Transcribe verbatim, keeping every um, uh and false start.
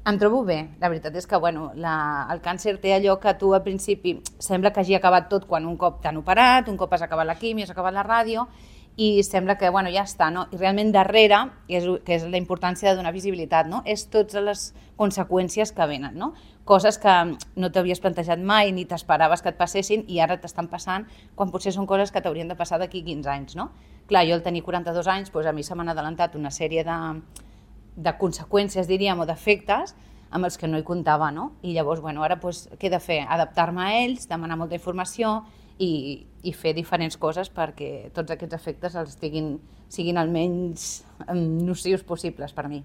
Em trobo bé, la veritat és que bueno, la, el càncer té allò que tu al principi sembla que hagi acabat tot quan un cop t'han operat, un cop has acabat la quimio, has acabat la ràdio i sembla que bueno, ja està, no? I realment darrere, que és, que és la importància de donar visibilitat, no? És totes les conseqüències que venen, no? Coses que no t'havies plantejat mai ni t'esperaves que et passessin i ara t'estan passant quan potser són coses que t'haurien de passar d'aquí quinze anys, no? Clar, jo al tenir quaranta-dos anys, doncs a mi se m'han adelantat una sèrie de, de conseqüències, diríem, o d'efectes amb els que no hi comptava, no? I llavors, bueno, ara doncs, què he de fer? Adaptar-me a ells, demanar molta informació i, i fer diferents coses perquè tots aquests efectes els siguin, siguin el menys nocius possibles per mi.